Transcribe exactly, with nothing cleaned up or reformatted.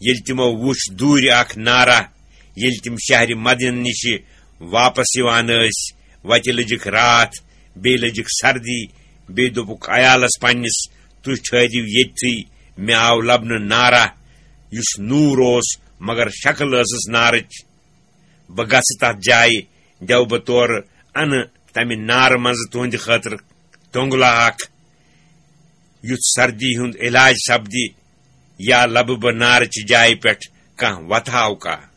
ییٚلہِ تِمو وُچھ دوٗرِ اکھ نارہ، ییٚلہِ تِم شہرِ مدینہ نِشہِ واپس یِوان ٲسۍ، وتہِ لٔجِکھ راتھ، بیٚیہِ لٔجِکھ سردی، بیٚیہِ دوٚپُکھ عیالس پننِس، "تُہۍ ٹھٔہرِو ییٚتھٕے، مےٚ آو لبنہٕ نارہ، یُس نوٗر اوس، مگر شکل ٲسٕس نارٕچ۔ بہٕ گژھٕ تتھ جایہِ، دِیو بہٕ تورٕ، انہٕ تمہِ نارٕ منٛزٕ تُہنٛدِ خٲطرٕ تۄنٛگلہٕ اکھ، یُتھ سردی ہُنٛد علاج سپدِ، یا لبہٕ بہٕ نارٕچہِ جایہِ پٮ۪ٹھ کانٛہہ وتھاو کانٛہہ۔"